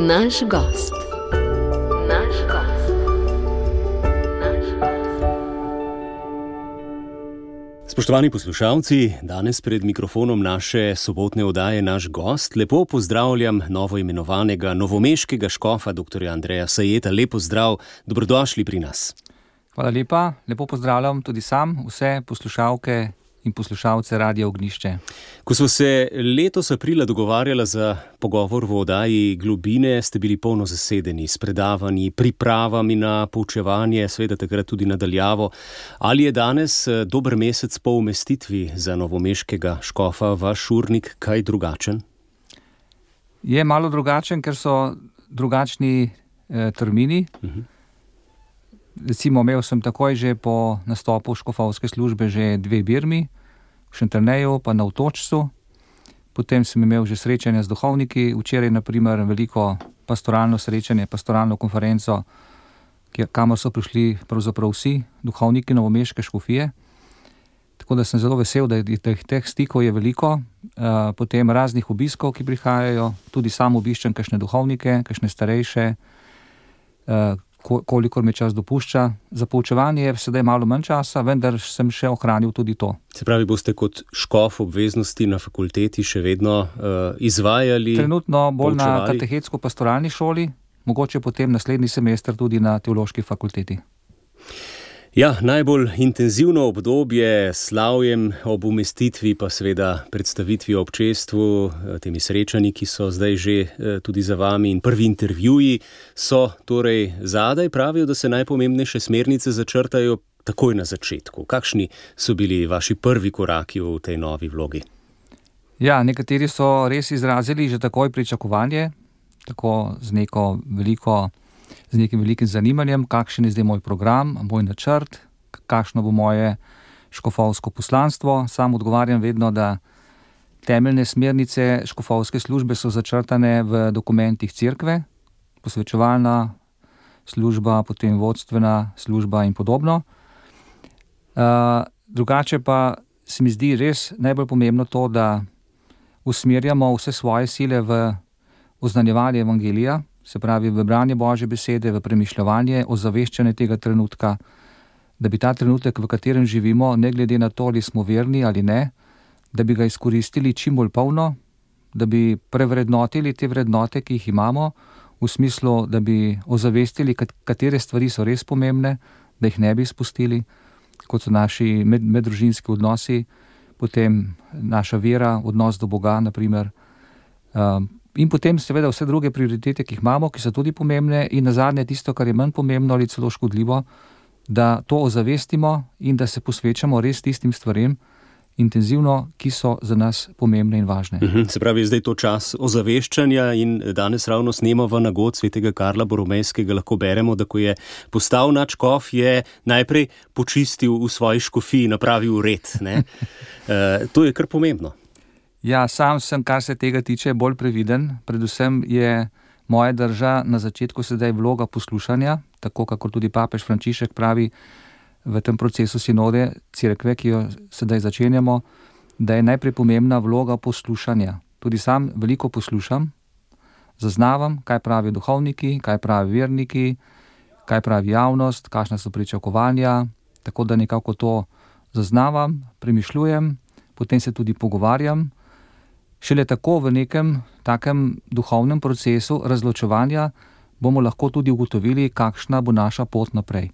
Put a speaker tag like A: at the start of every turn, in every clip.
A: Naš gost.
B: Spoštovani poslušalci, danes pred mikrofonom naše sobotne oddaje Naš gost lepo pozdravljam novoimenovanega novomeškega škofa dr. Andreja Sajeta. Lep pozdrav, dobrodošli pri nas.
C: Hvala lepa, lepo pozdravljam tudi sam vse poslušalke in poslušalce Radia Ognjišče.
B: Ko smo se letos aprila dogovarjali za pogovor v oddaji Globine, ste bili polno zasedeni s predavanji, pripravami na poučevanje, seveda takrat tudi nadaljavo. Ali je danes dober mesec po umestitvi za novomeškega škofa vaš urnik kaj drugačen?
C: Je malo drugačen, ker so drugačni termini. Recimo, imel sem takoj že po nastopu škofovske službe že 2 birmi, v Šentjerneju pa na Otočcu. Potem sem imel že srečanja z duhovniki, včeraj na primer veliko pastoralno srečanje, pastoralno konferenco, kamor so prišli pravzaprav vsi duhovniki novomeške škofije. Tako da sem zelo vesel, da teh stikov je veliko. Potem raznih obiskov, ki prihajajo, tudi sam obiščem kakšne duhovnike, kakšne starejše, kolikor mi čas dopušča. Za poučevanje je sedaj malo manj časa, vendar sem še ohranil tudi to.
B: Se pravi, boste kot škof obveznosti na fakulteti še vedno izvajali?
C: Trenutno bolj
B: poučevali?
C: Na katechetsko-pastoralni šoli, mogoče potem naslednji semester tudi na teološki fakulteti.
B: Ja, najbolj intenzivno obdobje s slavjem ob umestitvi, pa seveda predstavitvi občestvu, temi srečanji, ki so zdaj že tudi za vami, in prvi intervjuji so torej zadaj. Pravijo, da se najpomembnejše smernice začrtajo takoj na začetku. Kakšni so bili vaši prvi koraki v tej novi vlogi?
C: Ja, nekateri so res izrazili že takoj pričakovanje, tako z nekim velikim zanimanjem, kakšen je zdaj moj program, moj načrt, kakšno bo moje škofovsko poslanstvo. Sam odgovarjam vedno, da temeljne smernice škofovske službe so začrtane v dokumentih cerkve, posvečevalna služba, potem vodstvena služba in podobno. Drugače pa se mi zdi res najbolj pomembno to, da usmerjamo vse svoje sile v oznanjevanje evangelija, se pravi v branje Božje besede, v premišljevanje, ozaveščanje tega trenutka, da bi ta trenutek, v katerem živimo, ne glede na to, ali smo verni ali ne, da bi ga izkoristili čim bolj polno, da bi prevrednotili te vrednote, ki jih imamo, v smislu, da bi ozavestili, katere stvari so res pomembne, da jih ne bi izpustili, kot so naši meddružinski odnosi, potem naša vera, odnos do Boga, na primer, in potem seveda vse druge prioritete, ki jih imamo, ki so tudi pomembne, in nazadnje tisto, kar je manj pomembno ali celo škodljivo, da to ozavestimo in da se posvečamo res tistim stvarem intenzivno, ki so za nas pomembne in važne.
B: Se pravi, zdaj to čas ozaveščanja in danes ravno snemamo nagod svetega Karla Boromejskega, lahko beremo, da ko je postal nadškof, je najprej počistil v svoji škofiji, napravil red. To je kar pomembno.
C: Ja, sam sem, kar se tega tiče, bolj previden. Predvsem je moja drža na začetku sedaj vloga poslušanja, tako kakor tudi papež Frančišek pravi v tem procesu sinode cerkve, ki jo sedaj začenjamo, da je najprej pomembna vloga poslušanja. Tudi sam veliko poslušam, zaznavam, kaj pravijo duhovniki, kaj pravijo verniki, kaj pravi javnost, kakšna so pričakovanja, tako da nekako to zaznavam, premišljujem, potem se tudi pogovarjam. Šele tako v nekem takem duhovnem procesu razločevanja bomo lahko tudi ugotovili, kakšna bo naša pot naprej.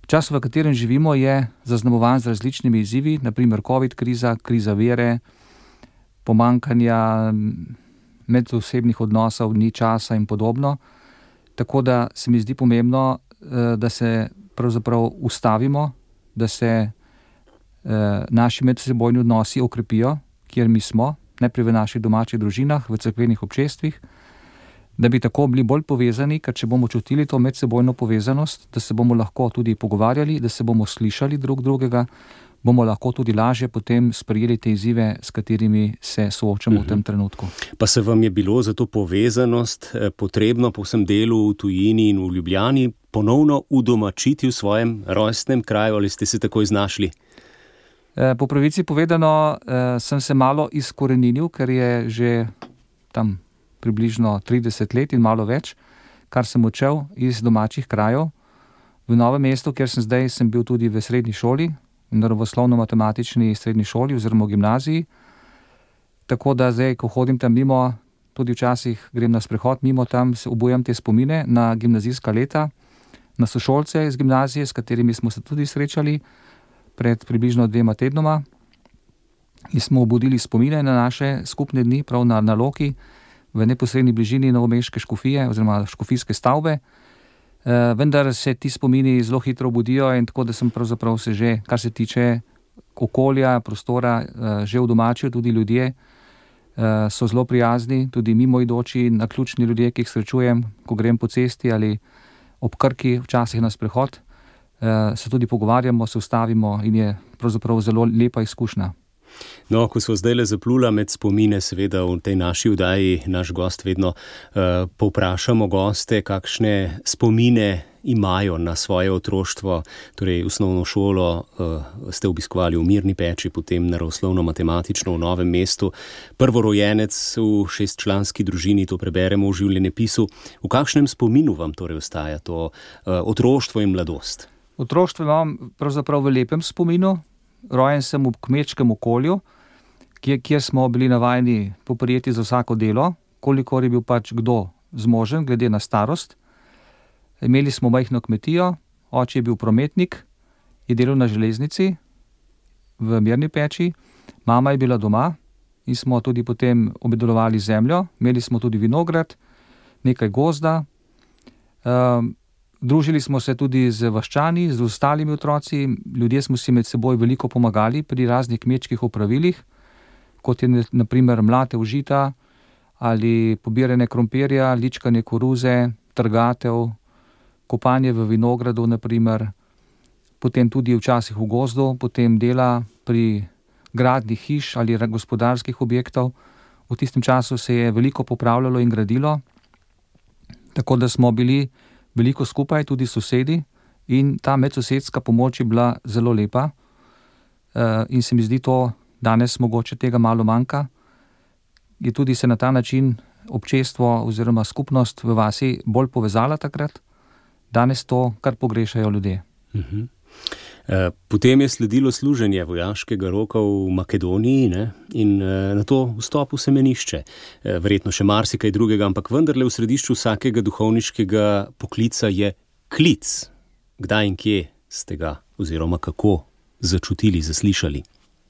C: Čas, v katerem živimo, je zaznamovan z različnimi izzivi, naprimer COVID kriza, kriza vere, pomanjkanja medosebnih odnosov, ni časa in podobno. Tako da se mi zdi pomembno, da se pravzaprav ustavimo, da se naši medsebojni odnosi okrepijo, kjer mi smo, najprej v naših domačih družinah, v cerkvenih občestvih, da bi tako bili bolj povezani, ker če bomo čutili to medsebojno povezanost, da se bomo lahko tudi pogovarjali, da se bomo slišali drug drugega, bomo lahko tudi lažje potem sprejeli te izzive, s katerimi se soočamo v tem trenutku.
B: Pa se vam je bilo za to povezanost potrebno po vsem delu v tujini in v Ljubljani ponovno udomačiti v svojem rojstnem kraju, ali ste se takoj znašli?
C: Po pravici povedano, sem se malo izkoreninil, ker je že tam približno 30 let in malo več, kar sem učil iz domačih krajev. V Novem mestu, kjer sem zdaj, sem bil tudi v srednji šoli, v naravoslovno-matematični srednji šoli oziroma v gimnaziji. Tako da zdaj, ko hodim tam mimo, tudi včasih grem na sprehod mimo tam, se obujam te spomine na gimnazijska leta, na sošolce iz gimnazije, s katerimi smo se tudi srečali pred približno 2 tednoma in smo obudili spomine na naše skupne dni, prav na Loki, v neposredni bližini novomeške škofije oziroma škofijske stavbe. Vendar se ti spomini zelo hitro obudijo in tako, da sem pravzaprav se že, kar se tiče okolja, prostora, že udomačil. Tudi ljudje so zelo prijazni, tudi mimoidoči, naključni ljudje, ki jih srečujem, ko grem po cesti ali ob Krki, včasih na sprehod, se tudi pogovarjamo, se ustavimo in je pravzaprav zelo lepa izkušnja.
B: No, ko so zdaj le zaplula med spomine, seveda v tej naši oddaji, naš gost vedno povprašamo goste, kakšne spomine imajo na svoje otroštvo, torej osnovno šolo ste obiskovali v Mirni Peči, potem naravoslovno-matematično v Novem mestu, prvorojenec v 6-članski družini, to preberemo v življenjepisu. V kakšnem spominu vam torej ostaja to otroštvo in mladost?
C: Otroštvo imam pravzaprav v lepem spominu. Rojen sem v kmečkem okolju, kjer smo bili navajeni poprijeti za vsako delo, kolikor je bil pač kdo zmožen, glede na starost. Imeli smo majhno kmetijo, oče je bil prometnik, je delal na železnici v Mirni Peči, mama je bila doma in smo tudi potem obdelovali zemljo, imeli smo tudi vinograd, nekaj gozda. Družili smo se tudi z vaščani, z ostalimi otroci, ljudje smo si med seboj veliko pomagali pri raznih kmečkih opravilih, kot je na primer mlatev žita ali pobiranje krompirja, ličkanje koruze, trgatev, kopanje v vinogradu na primer, potem tudi včasih v gozdu, potem dela pri gradnji hiš ali gospodarskih objektov. V tistem času se je veliko popravljalo in gradilo, tako da smo bili veliko skupaj, tudi sosedi, in ta medsosedska pomoč je bila zelo lepa. In se mi zdi to, danes mogoče tega malo manjka, je tudi se na ta način občestvo oziroma skupnost v vasi bolj povezala takrat, danes to kar pogrešajo ljudje.
B: Potem je sledilo služenje vojaškega roka v Makedoniji, ne? In na to vstop v semenišče. Verjetno še marsikaj drugega, ampak vendarle v središču vsakega duhovniškega poklica je klic. Kdaj in kje ste ga oziroma kako začutili, zaslišali?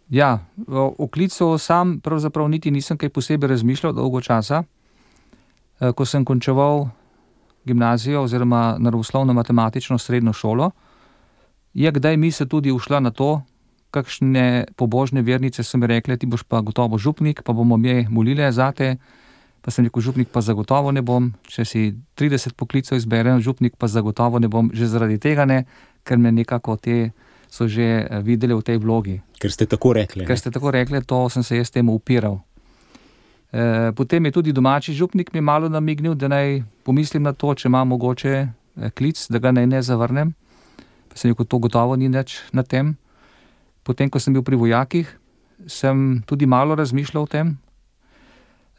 C: Ja, o klicu sam pravzaprav niti nisem kaj posebej razmišljal dolgo časa. Ko sem končeval gimnazijo oziroma naravoslovno-matematično srednjo šolo, je kdaj misel tudi ušla na to, kakšne pobožne vernice so mi rekle, ti boš pa gotovo župnik, pa bomo mi molile zate, pa sem rekel, župnik pa zagotovo ne bom, če si 30 poklicev izberem, župnik pa zagotovo ne bom, že zaradi tega ne, ker me nekako te so že videli v tej vlogi.
B: Ker ste tako rekli.
C: Ker ste tako rekli, to sem se jaz temu upiral. Potem je tudi domači župnik mi malo namignil, da naj pomislim na to, če imam mogoče klic, da ga naj ne zavrnem. Pa sem rekel, to gotovo ni nič na tem. Potem, ko sem bil pri vojakih, sem tudi malo razmišljal o tem.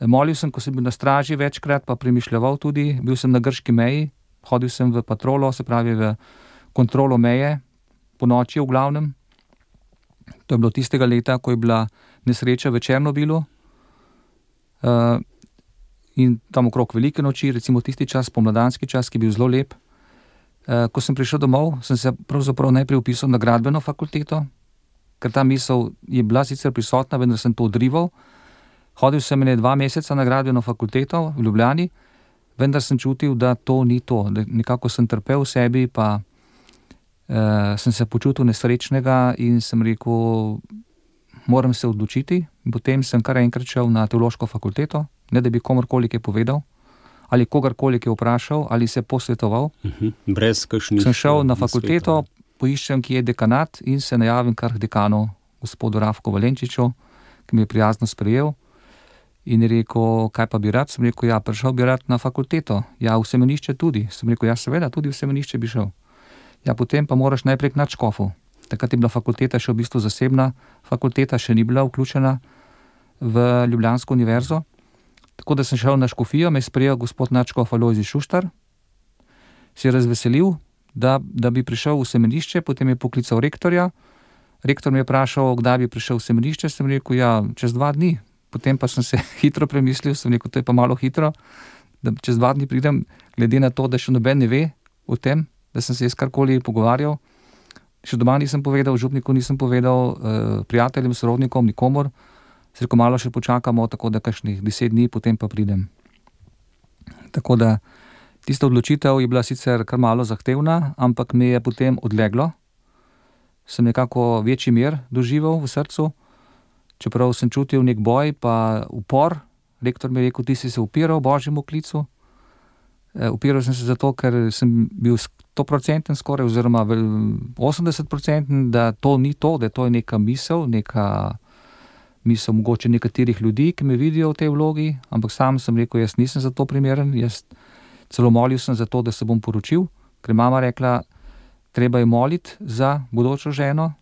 C: Molil sem, ko sem bil na straži večkrat, pa premišljeval tudi. Bil sem na grški meji, hodil sem v patrolo, se pravi v kontrolo meje, po noči v glavnem. To je bilo tistega leta, ko je bila nesreča v Černobilu. In tam okrog velike noči, recimo tisti čas, pomladanski čas, ki je bil zelo lep. Ko sem prišel domov, sem se pravzaprav najprej vpisal na gradbeno fakulteto, ker ta misel je bila sicer prisotna, vendar sem to odrival. Hodil sem 2 meseca na gradbeno fakulteto v Ljubljani, vendar sem čutil, da to ni to. Nekako sem trpel v sebi, pa sem se počutil nesrečnega in sem rekel, moram se odločiti. In potem sem kar enkrat šel na teološko fakulteto, ne da bi komorkoli kaj povedal, ali kogarkoli je vprašal, ali se posvetoval.
B: Brez kakšnih.
C: Sem šel na fakulteto, poiščem, kje je dekanat in se najavim kar dekanu, gospodu Rafku Valenčiču, ki mi je prijazno sprejel in je rekel, kaj pa bi rad? Sem rekel, ja, prišel bi rad na fakulteto. Ja, v semenišče tudi. Sem rekel, ja, seveda, tudi v semenišče bi šel. Ja, potem pa moraš najprej k nadškofu. Takrat je bila fakulteta še v bistvu zasebna, fakulteta še ni bila vključena v Ljubljansko univerzo. Tako da sem šel na škofijo, me je sprejel gospod nadškof Alojzij Šuštar, se je razveselil, da bi prišel v semenišče, potem je poklical rektorja. Rektor me je vprašal, kdaj bi prišel v semenišče, sem rekel, ja, čez 2 dni. Potem pa sem se hitro premislil, sem rekel, to je pa malo hitro, da čez 2 dni pridem, glede na to, da še noben ne ve o tem, da sem se jaz karkoli pogovarjal. Še doma nisem povedal, župniku nisem povedal, prijateljem, sorodnikom, nikomor. Se rekel, malo še počakamo, tako da kakšnih 10 dni, potem pa pridem. Tako da tista odločitev je bila sicer kar malo zahtevna, ampak me je potem odleglo. Sem nekako večji mir doživel v srcu, čeprav sem čutil nek boj pa upor. Rektor mi je rekel, ti si se upiral Božjemu klicu. Upiral sem se zato, ker sem bil 100% skoraj, oziroma 80%, da to ni to, da to je neka misel mogoče nekaterih ljudi, ki me vidijo v tej vlogi, ampak sam sem rekel, jaz nisem za to primeren, jaz celo molil sem za to, da se bom poročil, ker je mama rekla, treba je moliti za bodočo ženo.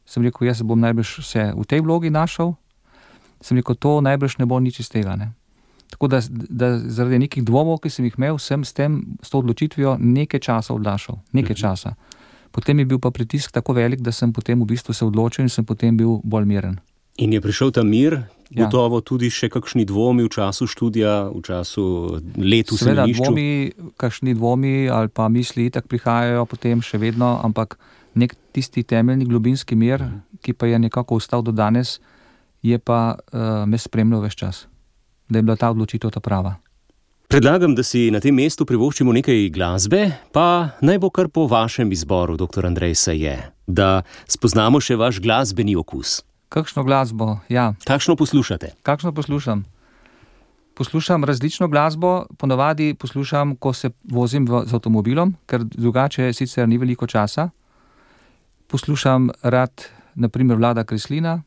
C: Sem rekel, jaz bom najbrž se v tej vlogi našel. Sem rekel, to najbrž ne bo nič iz tega, ne. Tako da zaradi nekih dvomov, ki sem jih imel, sem s to odločitvijo nekaj časa odlašal. Nekaj časa. Potem je bil pa pritisk tako velik, da sem potem v bistvu se odločil in sem potem bil bolj miren.
B: In je prišel ta mir, gotovo tudi še kakšni dvomi v času študija, v času let v semenišču?
C: Seveda kakšni dvomi ali pa misli itak prihajajo potem še vedno, ampak nek tisti temeljni globinski mir, ki pa je nekako ostal do danes, je pa me spremljal ves čas, da je bila ta odločitev ta prava.
B: Predlagam, da si na tem mestu privoščimo nekaj glasbe, pa naj bo kar po vašem izboru, dr. Andrej Saje, da spoznamo še vaš glasbeni okus.
C: Kakšno glasbo, ja.
B: Kakšno poslušate?
C: Kakšno poslušam? Poslušam različno glasbo, ponavadi poslušam, ko se vozim z avtomobilom, ker drugače sicer ni veliko časa. Poslušam rad, na primer, Vlada Kreslina,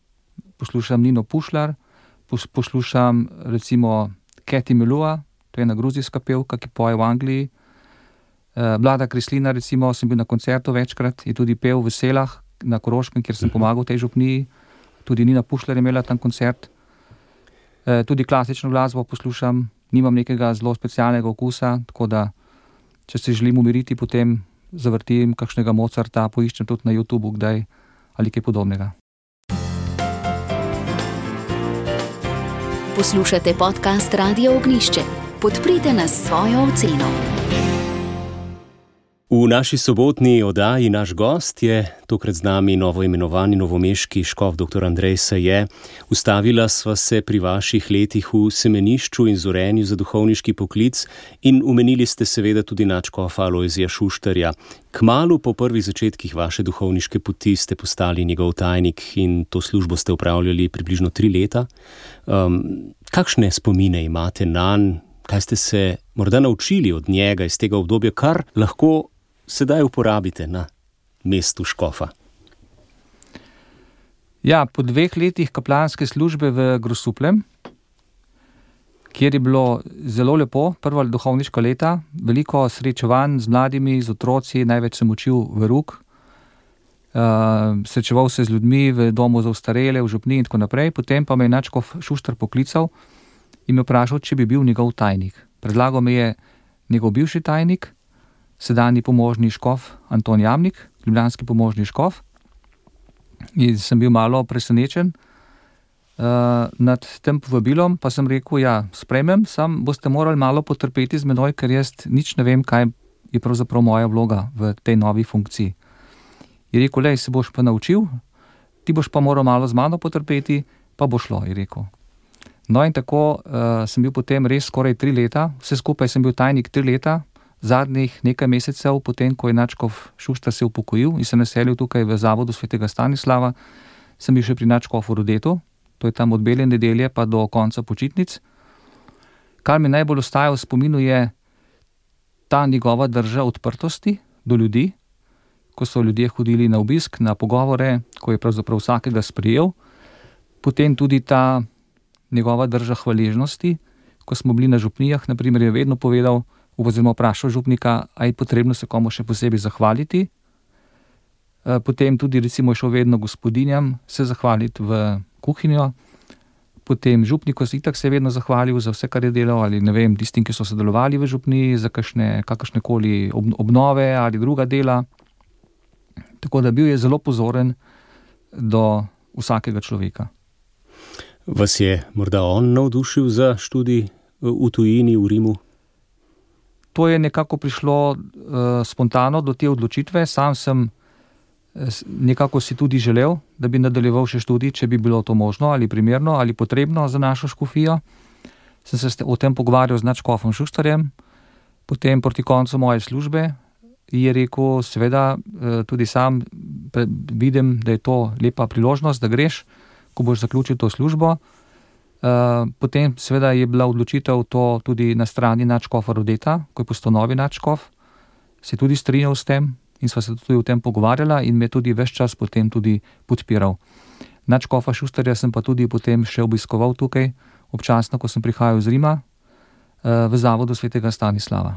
C: poslušam Nino Pušlar, poslušam recimo Kathy Melua, to je ena gruzijska pevka, ki poje v Angliji. Vlada Kreslina, recimo, sem bil na koncertu večkrat, je tudi pel v Selah na Koroškem, kjer sem pomagal tej župniji. Tudi Nina Pušlar je imela tam koncert. Tudi klasično glasbo poslušam, nimam nekega zelo specialnega okusa, tako da, če se želim umiriti, potem zavrtim kakšnega Mozarta, poiščem tudi na YouTubu kdaj ali kaj podobnega.
A: Poslušate podcast Radio Ognjišče. Podprite nas s svojo oceno.
B: V naši sobotni oddaji naš gost je tokrat z nami novoimenovani novomeški škof dr. Andrej Saje. Ustavila sva se pri vaših letih v semenišču in zorenju za duhovniški poklic in omenili ste seveda tudi nadškofa Alojzija Šuštarja. Kmalu po prvih začetkih vaše duhovniške poti ste postali njegov tajnik in to službo ste opravljali približno 3 leta. Kakšne spomine imate nanj? Kaj ste se morda naučili od njega iz tega obdobja, kar lahko sedaj uporabite na mestu škofa?
C: Ja, po 2 letih kaplanske službe v Grosupljem, kjer je bilo zelo lepo, prva duhovniška leta, veliko srečevanj z mladimi, z otroci, največ sem učil veruk, srečeval se z ljudmi v domu za ostarele, v župniji in tako naprej, potem pa me je nadškof Šuštar poklical in me vprašal, če bi bil njegov tajnik. Predlagal me je njegov bivši tajnik, sedanji pomožni škof Anton Jamnik, ljubljanski pomožni škof. In sem bil malo presenečen nad tem povabilom, pa sem rekel, ja, sprejmem, sam boste morali malo potrpeti z menoj, ker jaz nič ne vem, kaj je pravzaprav moja vloga v tej novi funkciji. Je rekel, lej, se boš pa naučil, ti boš pa moral malo z mano potrpeti, pa bo šlo, je rekel. No in tako sem bil potem res skoraj 3 leta, vse skupaj sem bil tajnik 3 leta, zadnjih nekaj mesecev, potem, ko je nadškof Šuštar se upokojil in se naselil tukaj v zavodu svetega Stanislava, sem bil še pri nadškofu Rodetu, to je tam od Bele nedelje pa do konca počitnic. Kar mi najbolj ostaja v spominu je ta njegova drža odprtosti do ljudi, ko so ljudje hodili na obisk, na pogovore, ko je pravzaprav vsakega sprejel. Potem tudi ta njegova drža hvaležnosti, ko smo bili na župnijah, na primer, je vedno povedal, oziroma vprašal župnika, a je potrebno se komu še posebej zahvaliti. Potem tudi recimo je šel vedno gospodinjam se zahvaliti v kuhinjo, Potem župniku itak se je vedno zahvalil za vse, kar je delal, ali ne vem, tistim, ki so sodelovali v župniji za kakršnekoli obnove ali druga dela. Tako da bil je zelo pozoren do vsakega človeka.
B: Vas je morda on navdušil za študij v tujini, v Rimu?
C: To je nekako prišlo spontano do te odločitve. Sam sem nekako si tudi želel, da bi nadaljeval še študij, če bi bilo to možno ali primerno ali potrebno za našo škofijo. Sem se o tem pogovarjal z nadškofom Šuštarjem, potem proti koncu moje službe je rekel, seveda tudi sam vidim, da je to lepa priložnost, da greš, ko boš zaključil to službo. Potem seveda je bila odločitev to tudi na strani nadškofa Rodeta, ko je postal novi nadškof, se je tudi strinjal s tem in sva se tudi o tem pogovarjala in me tudi ves čas potem tudi podpiral. Nadškofa Šuštarja sem pa tudi potem še obiskoval tukaj, občasno, ko sem prihajal iz Rima, v zavodu svetega Stanislava.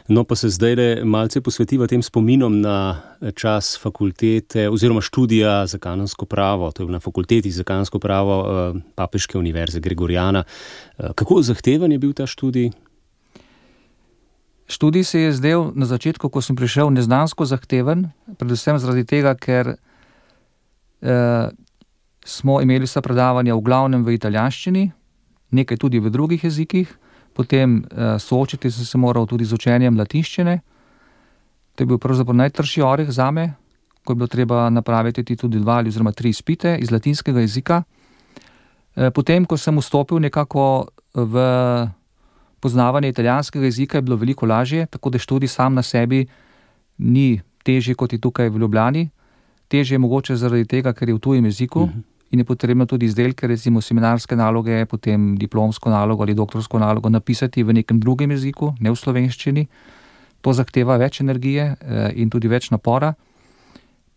B: No, pa se zdaj malce posvetiva tem spominom na čas fakultete oziroma študija za kanonsko pravo, to je na fakulteti za kanonsko pravo Papeške univerze Gregoriana. Kako zahteven je bil ta študij?
C: Študij se je zdel na začetku, ko sem prišel, neznansko zahteven, predvsem zaradi tega, ker smo imeli vsa predavanja v glavnem v italijanščini, nekaj tudi v drugih jezikih. Potem soočiti sem se moral tudi z učenjem latinščine. To je bil pravzaprav najtrši oreh zame, ko je bilo treba napraviti tudi 2 ali 3 izpite iz latinskega jezika. Potem, ko sem vstopil nekako v poznavanje italijanskega jezika, je bilo veliko lažje, tako da študij sam na sebi ni težji kot je tukaj v Ljubljani. Težje je mogoče zaradi tega, ker je v tujem jeziku. In je potrebno tudi izdelke, recimo seminarske naloge, potem diplomsko nalogo ali doktorsko nalogo napisati v nekem drugem jeziku, ne v slovenščini. To zahteva več energije in tudi več napora.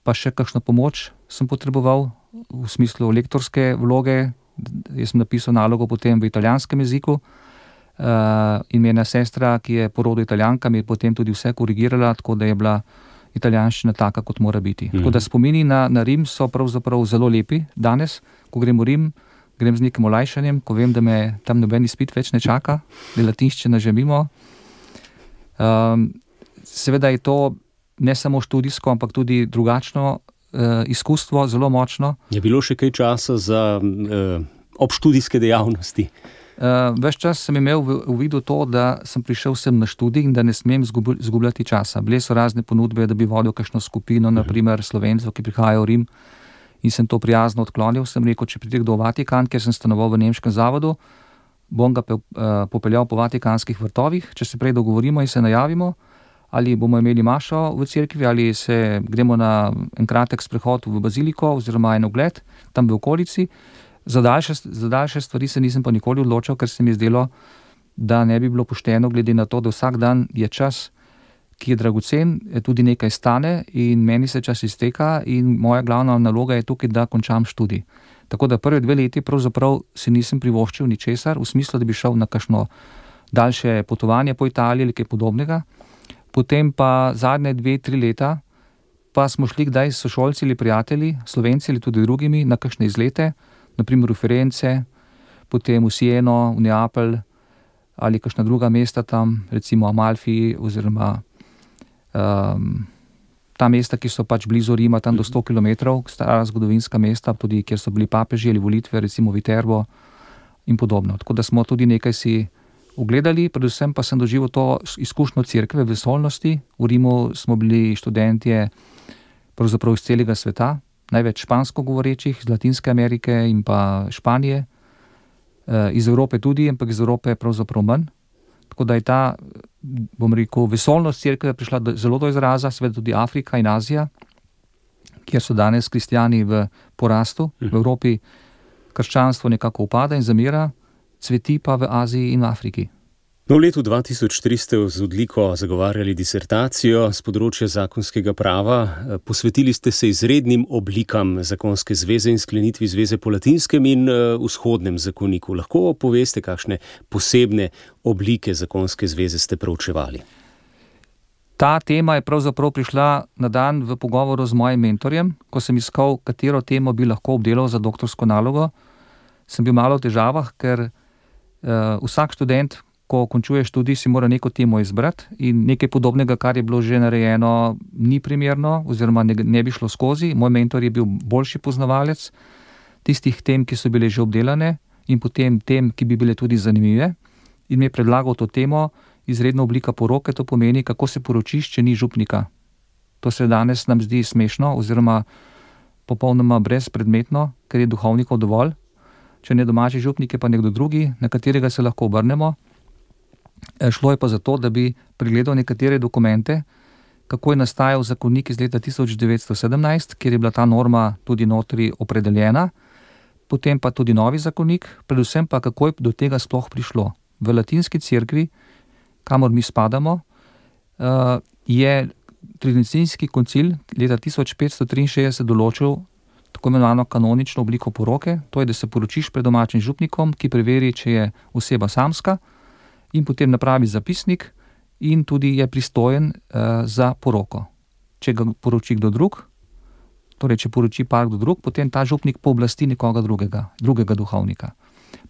C: Pa še kakšno pomoč sem potreboval v smislu lektorske vloge. Jaz sem napisal nalogo potem v italijanskem jeziku in mi ena sestra, ki je po rodu Italijanka, mi je potem tudi vse korigirala, tako da je bila italijanščina taka, kot mora biti. Tako da spomini na Rim so pravzaprav zelo lepi danes, ko grem v Rim, grem z nekim olajšanjem, ko vem, da me tam noben izpit več ne čaka, da je latinščina že mimo. Seveda je to ne samo študijsko, ampak tudi drugačno izkustvo, zelo močno.
B: Je bilo še kaj časa za obštudijske dejavnosti?
C: Ves čas sem imel v vidu to, da sem prišel sem na študij in da ne smem zgubljati časa. Bile so razne ponudbe, da bi vodil kakšno skupino, naprimer Slovencev, ki prihajajo v Rim, in sem to prijazno odklonil. Sem rekel, če pridem do Vatikan, ker sem stanoval v nemškem zavodu, bom ga popeljal po vatikanskih vrtovih, če se prej dogovorimo in se najavimo, ali bomo imeli mašo v cerkvi, ali se gremo na en kratek sprehod v baziliko oziroma en ogled tam v okolici. Za daljše stvari se nisem pa nikoli odločil, ker se mi je zdelo, da ne bi bilo pošteno, glede na to, da vsak dan je čas, ki je dragocen, tudi nekaj stane in meni se čas izteka in moja glavna naloga je tukaj, da končam študij. Tako da prve 2 leti pravzaprav si nisem privoščil ničesar, v smislu, da bi šel na kakšno daljše potovanje po Italiji ali kaj podobnega. Potem pa zadnje 2-3 leta pa smo šli kdaj s sošolci ali prijatelji, Slovenci ali tudi drugimi, na kakšne izlete, naprimer v Firence, potem v Sieno, v Neapelj ali kakšna druga mesta tam, recimo Amalfi oziroma ta mesta, ki so pač blizu Rima, tam do 100 kilometrov, stara zgodovinska mesta, tudi kjer so bili papeži ali volitve, recimo Viterbo in podobno. Tako da smo tudi nekaj si ogledali, predvsem pa sem doživel to izkušnjo cerkve vesolnosti. V Rimu smo bili študentje pravzaprav iz celega sveta, največ špansko govorečih, iz Latinske Amerike in pa Španije, iz Evrope tudi, ampak iz Evrope pravzaprav manj. Tako da je ta, bom rekel, vesolnost cerkve prišla zelo do izraza, seveda tudi Afrika in Azija, kjer so danes kristjani v porastu. V Evropi krščanstvo nekako upada in zamira, cveti pa v Aziji in v Afriki.
B: No, v letu 2003 ste z odliko zagovarjali disertacijo z področja zakonskega prava. Posvetili ste se izrednim oblikam zakonske zveze in sklenitvi zveze po latinskem in vzhodnem zakoniku. Lahko poveste, kakšne posebne oblike zakonske zveze ste proučevali?
C: Ta tema je pravzaprav prišla na dan v pogovoru z mojim mentorjem, ko sem iskal, katero temo bi lahko obdelal za doktorsko nalogo. sem bil malo v težavah, ker vsak študent, ko končuje študij, si mora neko temo izbrati in nekaj podobnega, kar je bilo že narejeno, ni primerno oziroma ne bi šlo skozi. Moj mentor je bil boljši poznavalec tistih tem, ki so bile že obdelane in potem tem, ki bi bile tudi zanimive, in mi je predlagal to temo izredna oblika poroke, to pomeni, kako se poročiš, če ni župnika. To se danes nam zdi smešno oziroma popolnoma brezpredmetno, ker je duhovnikov dovolj. Če ne domači župnik, je pa nekdo drugi, na katerega se lahko obrnemo. Šlo je pa za to, da bi pregledal nekatere dokumente, kako je nastajal zakonik iz leta 1917, kjer je bila ta norma tudi notri opredeljena, potem pa tudi novi zakonik, predvsem pa kako je do tega sploh prišlo. V latinski cerkvi, kamor mi spadamo, je Tridentijski koncil leta 1563 določil tako imenovano kanonično obliko poroke, to je, da se poročiš pred domačim župnikom, ki preveri, če je oseba samska, in potem napravi zapisnik in tudi je pristojen za poroko. Če ga poroči kdo drug, torej če poroči par kdo drug, potem ta župnik pooblasti nekoga drugega duhovnika.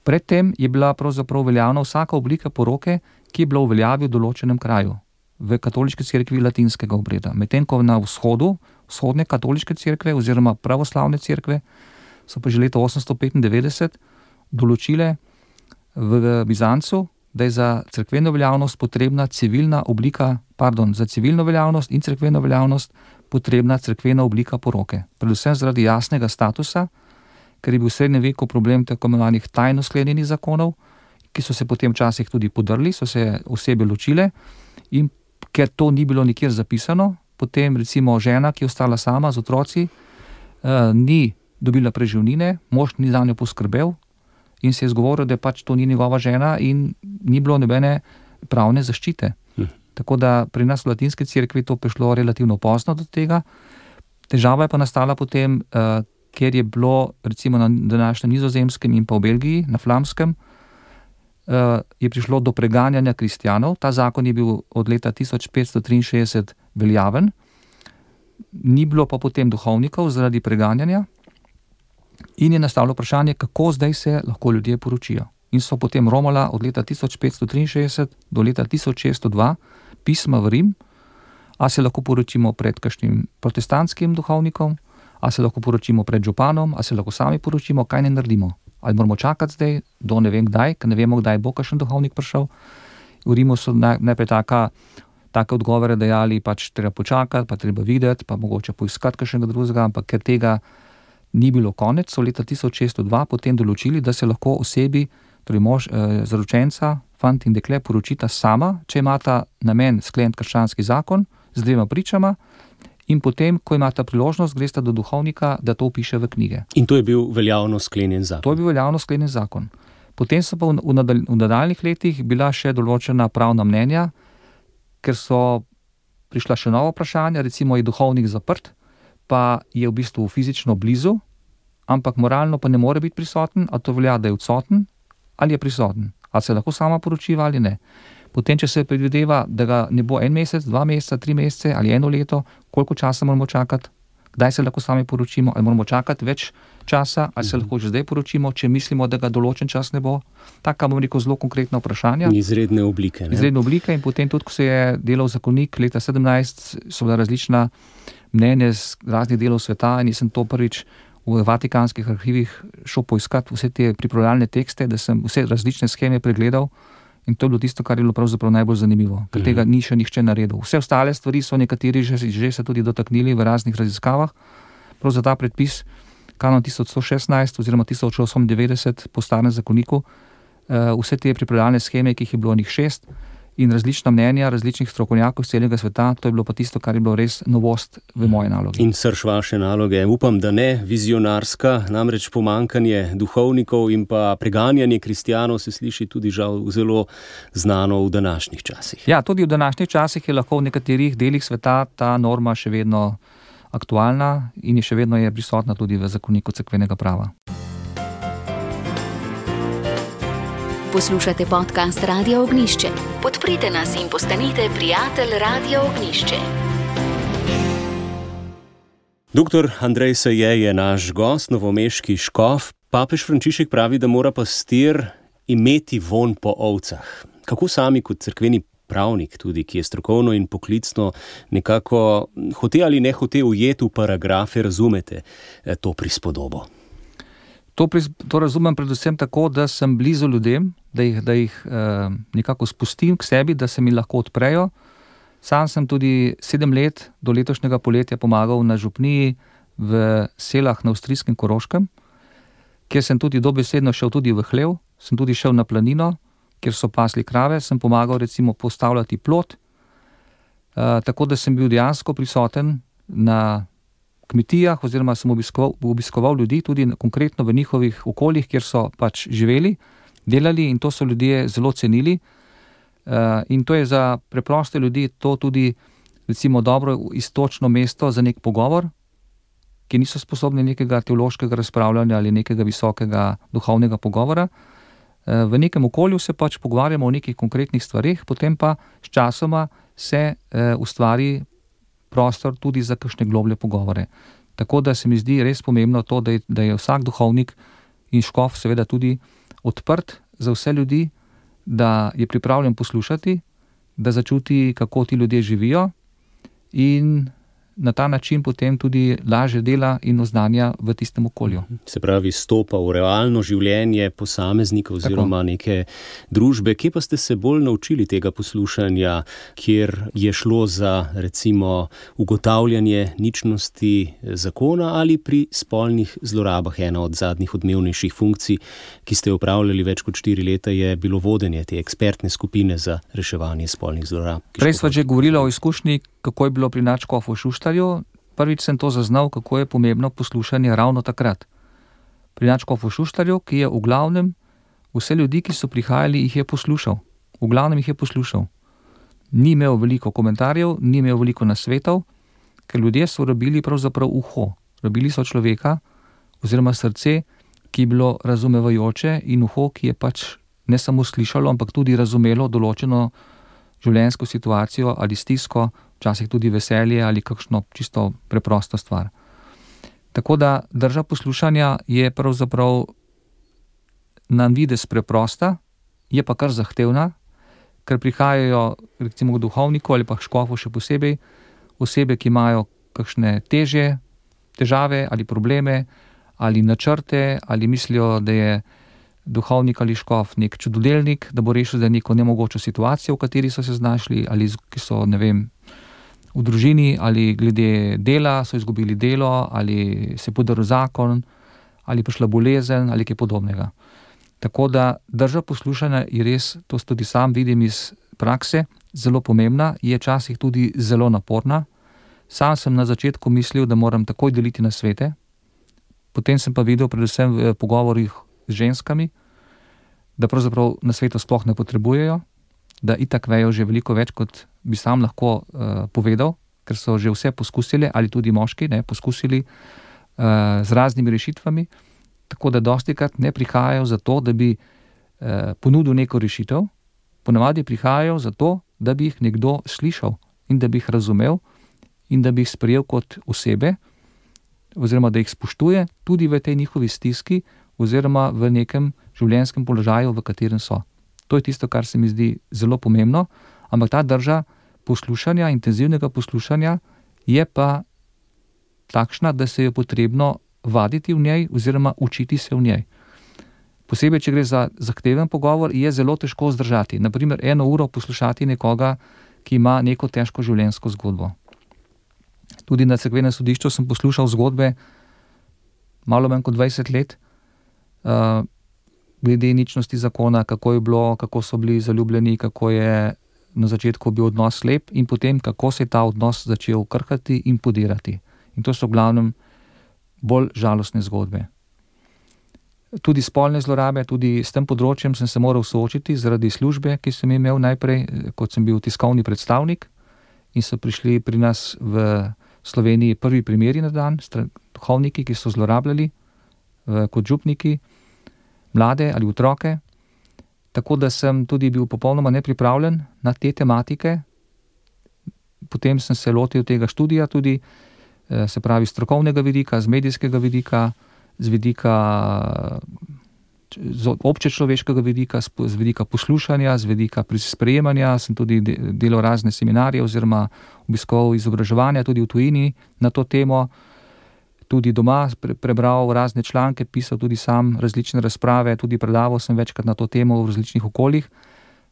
C: Predtem je bila pravzaprav veljavna vsaka oblika poroke, ki je bila v veljavi v določenem kraju, v katoliški cerkvi latinskega obreda. Medtem ko na vzhodu, vzhodne katoliške cerkve oziroma pravoslavne cerkve so pa že leta 895 določile v Bizancu, da je za cerkveno veljavnost potrebna za civilno veljavnost in cerkveno veljavnost potrebna cerkvena oblika poroke. Predvsem zaradi jasnega statusa, ker je bil v srednjem veku problem tako imenovanih tajno sklenjenih zakonov, ki so se potem včasih tudi podrli, so se osebe ločile, in ker to ni bilo nikjer zapisano, potem recimo žena, ki je ostala sama z otroci, ni dobila preživnine, mož ni za njo poskrbel in se je izgovoril, da pač to ni njegova žena in ni bilo nobene pravne zaščite. Tako da pri nas v latinski cerkvi to prišlo relativno pozno do tega. Težava je pa nastala potem, ker je bilo recimo na današnjem Nizozemskem in pa v Belgiji, na Flamskem, je prišlo do preganjanja kristjanov. Ta zakon je bil od leta 1563 veljaven, ni bilo pa potem duhovnikov zaradi preganjanja in je nastalo vprašanje, kako zdaj se lahko ljudje poročijo. In so potem romala od leta 1563 do leta 1602 pisma v Rim, a se lahko poročimo pred kakšnim protestantskim duhovnikom, a se lahko poročimo pred županom, a se lahko sami poročimo, kaj ne naredimo. Ali moramo čakati zdaj do ne vem kdaj, ker ne vemo, kdaj bo kakšen duhovnik prišel. V Rimu so najprej take odgovore dajali, pač treba počakati, pa treba videti, pa mogoče poiskati kakšnega drugega, ampak ker tega ni bilo konec, so leta 1602 potem določili, da se lahko osebi, torej mož, zaročenca, fant in dekle poročita sama, če imata namen skleniti krščanski zakon z dvema pričama, in potem, ko imata priložnost, gresta do duhovnika, da to vpiše v knjige.
B: In to je bil veljavno sklenjen zakon.
C: To je bil veljavno sklenjen zakon. Potem so pa v nadaljnjih letih bila še določena pravna mnenja, ker so prišla še nova vprašanja, recimo je duhovnik zaprt, pa je v bistvu fizično blizu, ampak moralno pa ne more biti prisoten, a to velja, da je odsoten ali je prisoten, ali se lahko sama poročiva ali ne. Potem, če se predvideva, da ga ne bo 1 mesec, 2 meseca, 3 mesece ali 1 leto, koliko časa moramo čakati, kdaj se lahko sami poročimo, ali moramo čakati več časa, ali se lahko že zdaj poročimo, če mislimo, da ga določen čas ne bo. Taka, bom rekel, zelo konkretna vprašanja.
B: Izredne oblike.
C: Izredne oblike, in potem tudi, ko se je delal zakonik leta 17, so bila različna mnenja z raznih delov sveta in sem to prvič v vatikanskih arhivih šel poiskati vse te pripravljalne tekste, da sem vse različne sheme pregledal. In to je bilo tisto, kar je bilo pravzaprav najbolj zanimivo, ker tega ni še nihče naredil. Vse ostale stvari so nekateri že se tudi dotaknili v raznih raziskavah. Prav za ta predpis, kanon 1116 oziroma 1890 po starem zakoniku, vse te pripravljalne sheme, ki jih je bilo njih 6, in različna mnenja različnih strokovnjakov iz celega sveta, to je bilo pa tisto, kar je bilo res novost v moje nalogi.
B: In srž vaše naloge, upam, da ne vizionarska, namreč pomankanje duhovnikov in pa preganjanje kristjanov se sliši tudi žal zelo znano v današnjih časih.
C: Ja, tudi v današnjih časih je lahko v nekaterih delih sveta ta norma še vedno aktualna in je še vedno prisotna tudi v zakoniku cerkvenega prava.
A: Poslušate podcast Radia Ognjišče. Podprite nas in postanite prijatelj Radia Ognjišče.
B: Dr. Andrej Seje je naš gost, novomeški škof. Papež Frančišek pravi, da mora pastir imeti vonj po ovcah. Kako sami kot cerkveni pravnik tudi, ki je strokovno in poklicno nekako hote ali ne hote ujeti v paragrafe, razumete to prispodobo?
C: To razumem predvsem tako, da sem blizu ljudem, da jih nekako spustim k sebi, da se mi lahko odprejo. Sam sem tudi 7 let do letošnjega poletja pomagal na župniji v Selah na avstrijskem Koroškem, kjer sem tudi dobesedno šel tudi v hlev, sem tudi šel na planino, kjer so pasli krave, sem pomagal recimo postavljati plot, tako da sem bil dejansko prisoten na kmetijah oziroma sem obiskoval ljudi tudi konkretno v njihovih okoljih, kjer so pač živeli, delali in to so ljudje zelo cenili. In to je za preproste ljudi to tudi recimo dobro iztočno mesto za nek pogovor, ki niso sposobni nekega teološkega razpravljanja ali nekega visokega duhovnega pogovora. V nekem okolju se pač pogovarjamo o nekih konkretnih stvareh, potem pa s časoma se ustvari prostor tudi za kakšne globlje pogovore. Tako da se mi zdi res pomembno to, da je vsak duhovnik in škof seveda tudi odprt za vse ljudi, da je pripravljen poslušati, da začuti, kako ti ljudje živijo in na ta način potem tudi lažje dela in oznanja v tistem okolju.
B: Se pravi, stopa v realno življenje posameznika oziroma neke družbe. Kje pa ste se bolj naučili tega poslušanja, kjer je šlo za recimo ugotavljanje ničnosti zakona ali pri spolnih zlorabah? Ena od zadnjih odmevnejših funkcij, ki ste opravljali več kot 4 leta, je bilo vodenje te ekspertne skupine za reševanje spolnih zlorab.
C: Prej sva že govorila o izkušnji, kako je bilo pri nadškofu Šuštarju. Prvič sem to zaznal, kako je pomembno poslušanje ravno takrat. Pri nadškofu Šuštarju, ki je v glavnem vse ljudi, ki so prihajali, jih je poslušal. V glavnem jih je poslušal. Ni imel veliko komentarjev, ni imel veliko nasvetov, ker ljudje so rabili pravzaprav uho. Rabili so človeka oziroma srce, ki je bilo razumevajoče in uho, ki je pač ne samo slišalo, ampak tudi razumelo določeno življenjsko situacijo ali stisko, včasih tudi veselje ali kakšno čisto preprosto stvar. Tako da drža poslušanja je pravzaprav na videz preprosta, je pa kar zahtevna, ker prihajajo recimo k duhovniku ali pa k škofu še posebej osebe, ki imajo kakšne težave ali probleme ali načrte ali mislijo, da je duhovnik ali škof nek čudodelnik, da bo rešil za neko nemogočo situacijo, v kateri so se znašli, ali ki so, ne vem, v družini, ali glede dela, so izgubili delo, ali se podaril zakon, ali prišla bolezen, ali kaj podobnega. Tako da drža poslušanja je res, to tudi sam vidim iz prakse, zelo pomembna, je včasih tudi zelo naporna. Sam sem na začetku mislil, da moram takoj deliti nasvete, potem sem pa videl predvsem v pogovorih z ženskami, da pravzaprav nasvetov sploh ne potrebujejo, da itak vejo že veliko več, kot bi sam lahko povedal, ker so že vse poskusili, ali tudi moški, poskusili z raznimi rešitvami, tako da dostikrat ne prihajajo zato, da bi ponudil neko rešitev, ponavadi prihajajo zato, da bi jih nekdo slišal in da bi jih razumel in da bi jih sprejel kot osebe, oziroma da jih spoštuje tudi v tej njihovi stiski oziroma v nekem življenjskem položaju, v katerem so. To je tisto, kar se mi zdi zelo pomembno, ampak ta drža poslušanja, intenzivnega poslušanja je pa takšna, da se je potrebno vaditi v njej oziroma učiti se v njej. Posebej, če gre za zahteven pogovor, je zelo težko zdržati. Naprimer, 1 uro poslušati nekoga, ki ima neko težko življenjsko zgodbo. Tudi na cerkvenem sodišču sem poslušal zgodbe malo manj kot 20 let, glede ničnosti zakona, kako je bilo, kako so bili zaljubljeni, kako je na začetku bil odnos slep in potem, kako se je ta odnos začel krhati in podirati. In to so v glavnem bolj žalostne zgodbe. Tudi spolne zlorabe, tudi s tem področjem sem se moral soočiti zaradi službe, ki sem imel najprej, kot sem bil tiskovni predstavnik in so prišli pri nas v Sloveniji prvi primeri na dan, duhovniki, ki so zlorabljali kot župniki mlade ali otroke, tako da sem tudi bil popolnoma nepripravljen na te tematike. Potem sem se lotil tega študija tudi, se pravi strokovnega vidika, z medijskega vidika, z vidika občečloveškega vidika, z vidika poslušanja, z vidika sprejemanja. Sem tudi delal razne seminarje oziroma obiskoval izobraževanja tudi v tujini na to temo. Tudi doma prebral razne članke, pisal tudi sam različne razprave, tudi predaval sem večkrat na to temo v različnih okoljih.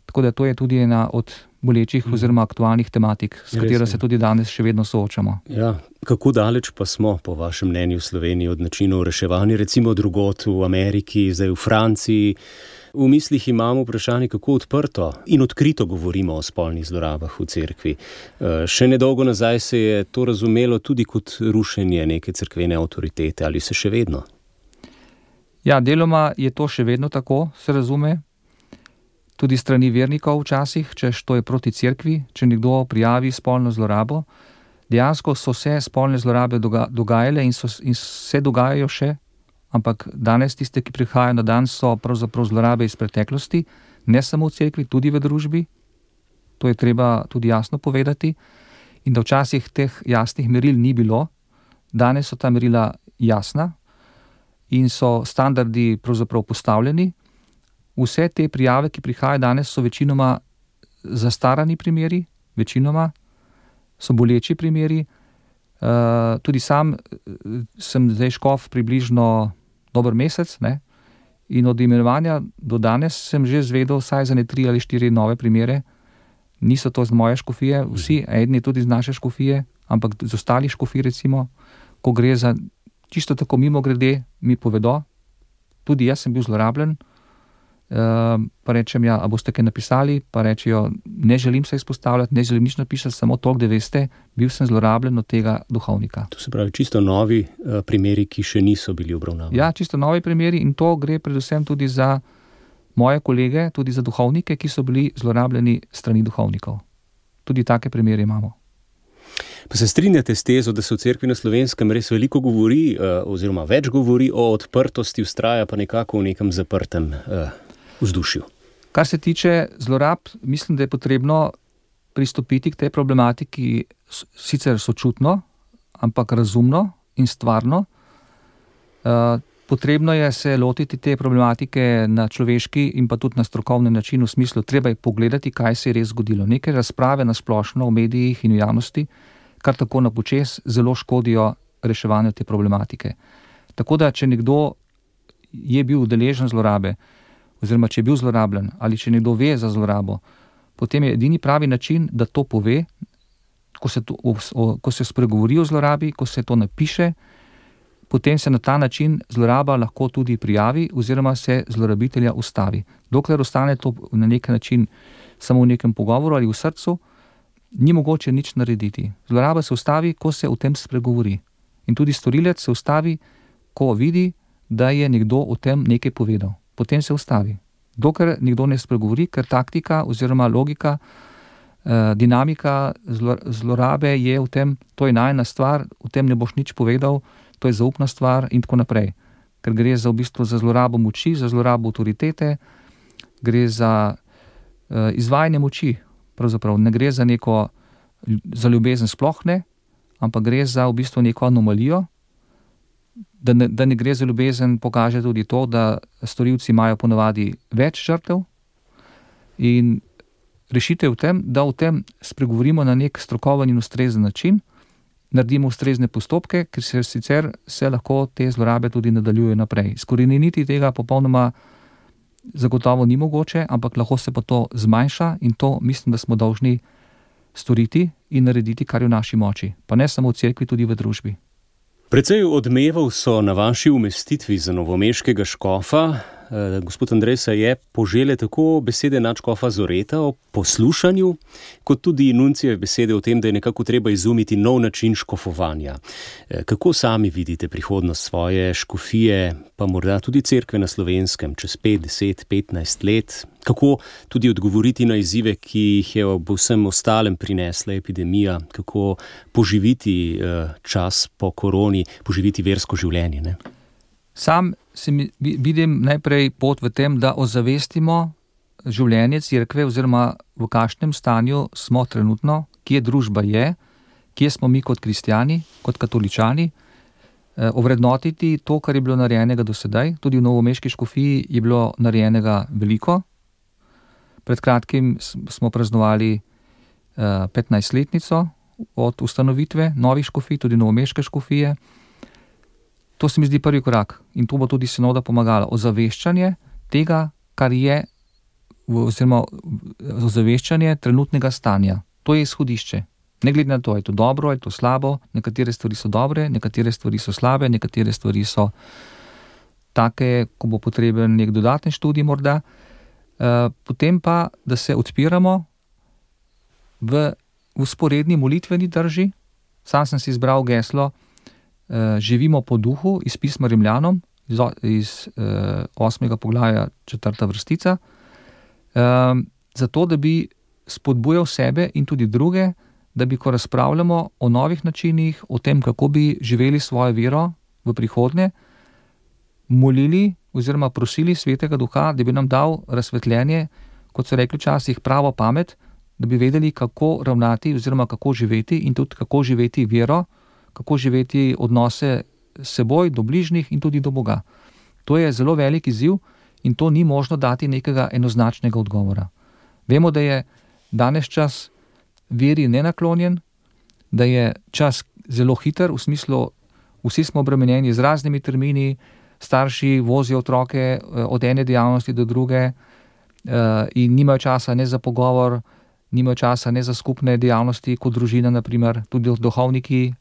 C: Tako da to je tudi ena od bolečih oziroma aktualnih tematik, s katero se tudi danes še vedno soočamo.
B: Ja, kako daleč pa smo, po vašem mnenju, v Sloveniji od načinov reševanja, recimo drugod v Ameriki, zdaj v Franciji? V mislih imamo vprašanje, kako odprto in odkrito govorimo o spolnih zlorabah v cerkvi. Še nedolgo nazaj se je to razumelo tudi kot rušenje neke cerkvene avtoritete, ali se še vedno?
C: Ja, deloma je to še vedno tako, se razume. Tudi strani vernikov včasih, češ to je proti cerkvi, če nekdo prijavi spolno zlorabo. Dejansko so se spolne zlorabe dogajale in se dogajajo še, ampak danes tiste, ki prihajajo na dan, so pravzaprav zlorabe iz preteklosti, ne samo v cerkvi, tudi v družbi. To je treba tudi jasno povedati. In da včasih teh jasnih meril ni bilo, danes so ta merila jasna in so standardi pravzaprav postavljeni. Vse te prijave, ki prihajajo danes, so večinoma zastarani primeri, večinoma so boleči primeri. Tudi sam sem zdaj škof približno dober mesec, ne? In od imenovanja do danes sem že zvedel vsaj za 3 ali 4 nove primere. Niso to z moje škofije, vsi, eden je tudi z naše škofije, ampak z ostalih škofij recimo, ko gre za čisto tako mimogrede, mi povedo, tudi jaz sem bil zlorabljen. Pa rečem, ja, a boste kaj napisali, pa rečejo, ne želim se izpostavljati, ne želim nič napisati, samo toliko, da veste, bil sem zlorabljen od tega duhovnika.
B: To se pravi čisto novi primeri, ki še niso bili obravnavani.
C: Ja, čisto novi primeri in to gre predvsem tudi za moje kolege, tudi za duhovnike, ki so bili zlorabljeni strani duhovnikov. Tudi take primere imamo.
B: Pa se strinjate s tezo, da se v cerkvi na Slovenskem res veliko govori, oziroma več govori o odprtosti, vztraja pa nekako v nekem zaprtem vzdušju?
C: Kar se tiče zlorab, mislim, da je potrebno pristopiti k tej problematiki sicer sočutno, ampak razumno in stvarno. Potrebno je se lotiti te problematike na človeški in pa tudi na strokovni način, v smislu, treba je pogledati, kaj se je res zgodilo. Neke razprave na splošno v medijih in v javnosti, kar tako na počez, zelo škodijo reševanju te problematike. Tako da, če nekdo je bil udeležen zlorabe, oziroma če je bil zlorabljen, ali če nekdo ve za zlorabo, potem je edini pravi način, da to pove, ko se spregovori o zlorabi, ko se to napiše, potem se na ta način zloraba lahko tudi prijavi oziroma se zlorabitelja ustavi. Dokler ostane to na nek način samo v nekem pogovoru ali v srcu, ni mogoče nič narediti. Zloraba se ustavi, ko se o tem spregovori. In tudi storilec se ustavi, ko vidi, da je nekdo o tem nekaj povedal. Potem se ustavi. Dokler nekdo ne spregovori, ker taktika oziroma logika, dinamika zlorabe je v tem, to je najna stvar, v tem ne boš nič povedal, to je zaupna stvar in tako naprej. Ker gre za v bistvu za zlorabo moči, za zlorabo avtoritete, gre za izvajanje moči, pravzaprav ne gre za neko, za ljubezen sploh ne, ampak gre za v bistvu neko anomalijo. Da ne gre za ljubezen, pokaže tudi to, da storilci imajo ponavadi več žrtev in rešitev v tem, da o tem spregovorimo na nek strokoven in ustrezen način, naredimo ustrezne postopke, ker se lahko te zlorabe tudi nadaljujejo naprej. Izkoreniniti tega popolnoma zagotovo ni mogoče, ampak lahko se pa to zmanjša in to mislim, da smo dolžni storiti in narediti, kar je v naši moči. Pa ne samo v cerkvi, tudi v družbi.
B: Precej odmevov so na vaši umestitvi za novomeškega škofa. Gospod Andrej se je požele tako besede nadškofa Zoreta o poslušanju, kot tudi nuncijeve besede o tem, da je nekako treba izumiti nov način škofovanja. Kako sami vidite prihodnost svoje škofije, pa morda tudi cerkve na Slovenskem, čez 5, 10, 15 let? Kako tudi odgovoriti na izzive, ki jih je ob vsem ostalem prinesla epidemija? Kako poživiti čas po koroni, poživiti versko življenje, ne?
C: Sam vidim najprej pot v tem, da ozavestimo življenje cerkve oziroma v kakšnem stanju smo trenutno, kje družba je, kje smo mi kot kristjani, kot katoličani. ovrednotiti to, kar je bilo narejenega do sedaj. Tudi v novomeški škofiji je bilo narejenega veliko. Pred kratkim smo praznovali 15-letnico od ustanovitve novih škofij, tudi novomeške škofije. To se mi zdi prvi korak in to bo tudi sinoda pomagala. Ozaveščanje tega, kar je, oziroma ozaveščanje trenutnega stanja. To je izhodišče. Ne glede na to, je to dobro, je to slabo, nekatere stvari so dobre, nekatere stvari so slabe, nekatere stvari so take, ko bo potreben nek dodaten študij morda. Potem pa, da se odpiramo v vzporedni molitveni drži. Sam sem si izbral geslo Živimo po duhu iz pisma Rimljanom, iz 8. poglavja 4. vrstica, zato, da bi spodbujal sebe in tudi druge, da bi, ko razpravljamo o novih načinih, o tem, kako bi živeli svojo vero v prihodnje, molili oziroma prosili Svetega Duha, da bi nam dal razsvetljenje, kot so rekli včasih, pravo pamet, da bi vedeli, kako ravnati oziroma kako živeti in tudi kako živeti vero, kako živeti odnose s seboj, do bližnjih in tudi do Boga. To je zelo velik izziv in to ni možno dati nekega enoznačnega odgovora. Vemo, da je danes čas veri nenaklonjen, da je čas zelo hiter, v smislu, vsi smo obremenjeni z raznimi termini, starši vozijo otroke od ene dejavnosti do druge in nimajo časa ne za pogovor, nimajo časa ne za skupne dejavnosti, kot družina, naprimer, tudi duhovniki,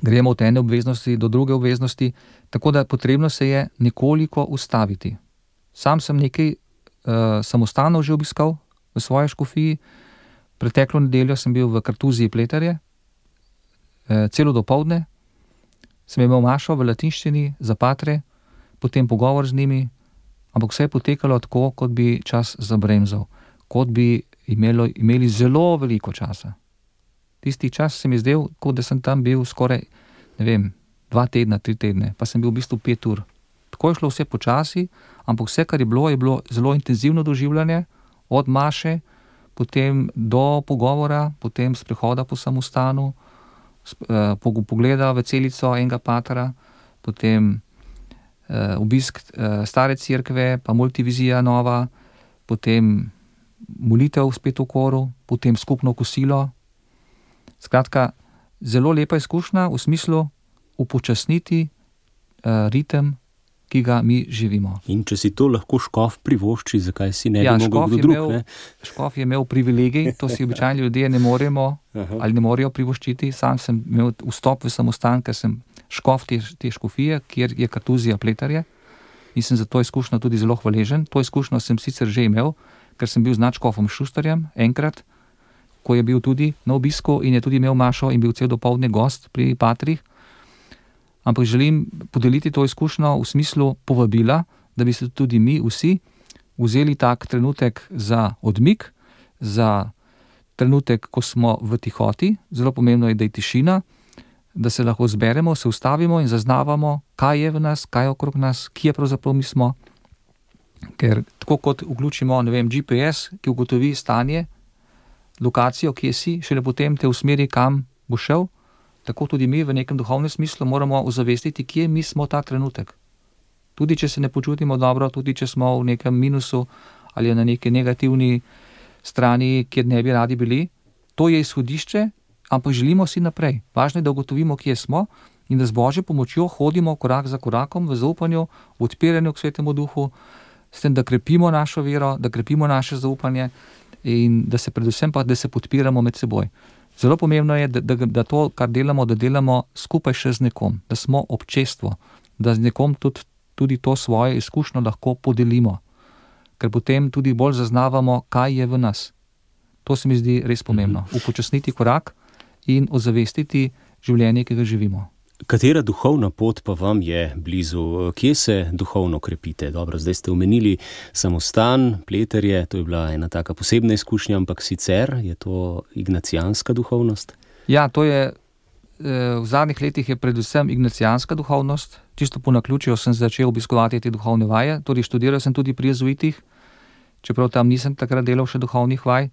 C: gremo od ene obveznosti do druge obveznosti, tako da potrebno se je nekoliko ustaviti. Sam sem nekaj samostanov že obiskal v svoji škofiji. Preteklo nedeljo sem bil v Kartuziji Pleterje, celo dopoldne, sem imel mašo v latinščini za patre, potem pogovor z njimi, ampak vse je potekalo tako, kot bi čas zabremzal, kot bi imeli zelo veliko časa. Tisti čas se mi zdel, kot da sem tam bil skoraj, 2 tedna, 3 tedne, pa sem bil v bistvu 5 ur. Tako je šlo vse počasi, ampak vse, kar je bilo zelo intenzivno doživljanje, od maše, potem do pogovora, potem sprehoda po samostanu, pogleda v celico enega patra, potem obisk stare cerkve, pa multivizija nova, potem molitev spet v koru, potem skupno kosilo. Skratka, zelo lepa izkušnja v smislu upočasniti ritem, ki ga mi živimo.
B: In če si to lahko škof privošči, zakaj si ne bi mogel kdo drug?
C: Škof je imel privilegij, to si običajni ljudje ne moremo ali ne morejo privoščiti. Sam sem imel vstop v samostan, ker sem škof te škofije, kjer je Kartuzija Pleterje, in sem za to izkušnjo tudi zelo hvaležen. To izkušnjo sem sicer že imel, ker sem bil z nadškofom Šusterjem enkrat, ko je bil tudi na obisku in je tudi imel mašo in bil cel dopoldne gost pri patrih. Ampak želim podeliti to izkušnjo v smislu povabila, da bi se tudi mi vsi vzeli tak trenutek za odmik, za trenutek, ko smo v tihoti. Zelo pomembno je, da je tišina, da se lahko zberemo, se ustavimo in zaznavamo, kaj je v nas, kaj je okrog nas, kje pravzaprav mi smo. Ker tako kot vključimo, GPS, ki ugotovi stanje, lokacijo, kje si, šele potem te usmeri, kam bo šel, tako tudi mi v nekem duhovnem smislu moramo ozavestiti, kje mi smo ta trenutek. Tudi če se ne počutimo dobro, tudi če smo v nekem minusu ali na neki negativni strani, kjer ne bi radi bili, to je izhodišče, ampak želimo si naprej. Važno je, da ugotovimo, kje smo in da z Božjo pomočjo hodimo korak za korakom v zaupanju, v odpiranju k Svetemu Duhu, s tem, da krepimo našo vero, da krepimo naše zaupanje in da se predvsem pa, da se podpiramo med seboj. Zelo pomembno je, da to, kar delamo, da delamo skupaj še z nekom, da smo občestvo, da z nekom tudi to svoje izkušnjo lahko podelimo, ker potem tudi bolj zaznavamo, kaj je v nas. To se mi zdi res pomembno. Upočasniti korak in ozavestiti življenje, ki ga živimo.
B: Katera duhovna pot pa vam je blizu? Kje se duhovno krepite? Dobro, zdaj ste omenili samostan, Pleterje, to je bila ena taka posebna izkušnja, ampak sicer je to ignacijanska duhovnost?
C: Ja, to je, v zadnjih letih je predvsem ignacijanska duhovnost. Čisto po naključju sem začel obiskovati te duhovne vaje, torej študiral sem tudi pri jezuitih, čeprav tam nisem takrat delal še duhovnih vaj,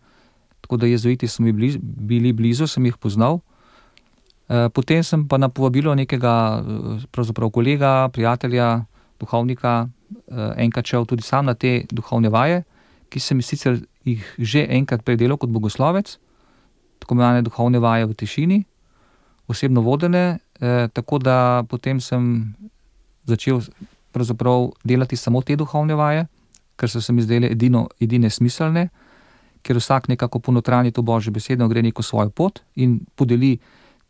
C: tako da jezuiti so mi bili blizu, sem jih poznal. Potem sem pa na povabilo nekega pravzaprav kolega, prijatelja, duhovnika, enkrat šel tudi sam na te duhovne vaje, ki sem sicer jih že enkrat predelal kot bogoslovec, tako imenovane duhovne vaje v tišini, osebno vodene, tako da potem sem začel pravzaprav delati samo te duhovne vaje, ker so se mi zdele edine smiselne, ker vsak nekako ponotranje to Božjo besedo, gre neko svojo pot in podeli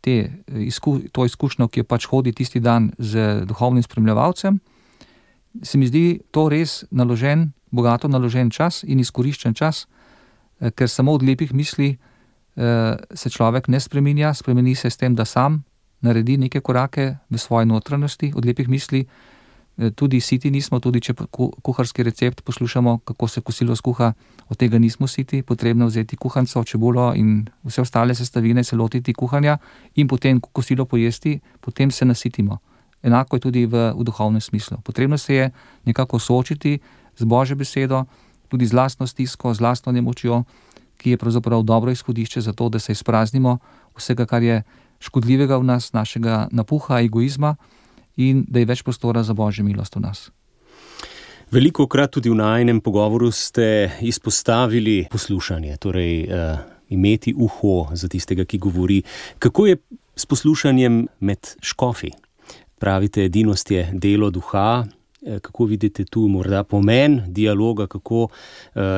C: to izkušnjo, ki jo pač hodi tisti dan z duhovnim spremljevalcem. Se mi zdi to res bogato naložen čas in izkoriščen čas, ker samo od lepih misli se človek ne spreminja, spremeni se s tem, da sam naredi neke korake v svoji notranjosti, od lepih misli. Tudi siti nismo, tudi če kuharski recept poslušamo, kako se kosilo skuha, od tega nismo siti, potrebno vzeti kuhanco, čebulo in vse ostale sestavine, se lotiti kuhanja in potem kosilo pojesti, potem se nasitimo. Enako je tudi v duhovnem smislu. Potrebno se je nekako soočiti z Božjo besedo, tudi z lastno stisko, z lastno nemočjo, ki je pravzaprav dobro izhodišče za to, da se izpraznimo vsega, kar je škodljivega v nas, našega napuha, egoizma, in da je več prostora za Božjo milost v nas.
B: Velikokrat tudi v najinem pogovoru ste izpostavili poslušanje, torej imeti uho za tistega, ki govori. Kako je s poslušanjem med škofi? Pravite, edinost je delo duha. Kako vidite tu morda pomen dialoga, kako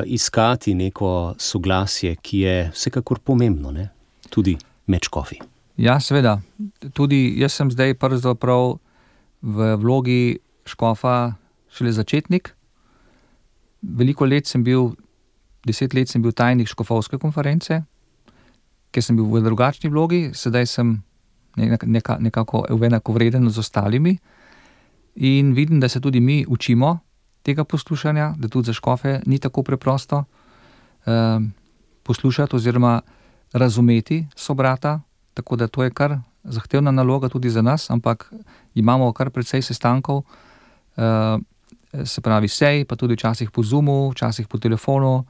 B: iskati neko soglasje, ki je vsekakor pomembno, ne? Tudi med škofi?
C: Ja, seveda. Tudi jaz sem zdaj pravzaprav v vlogi škofa šele začetnik. 10 let sem bil tajnik škofovske konference, ker sem bil v drugačni vlogi, sedaj sem nekako enakovreden z ostalimi in vidim, da se tudi mi učimo tega poslušanja, da tudi za škofe ni tako preprosto poslušati oziroma razumeti sobrata, tako da to je kar zahtevna naloga tudi za nas, ampak imamo kar precej sestankov, se pravi sej, pa tudi včasih po Zoomu, včasih po telefonu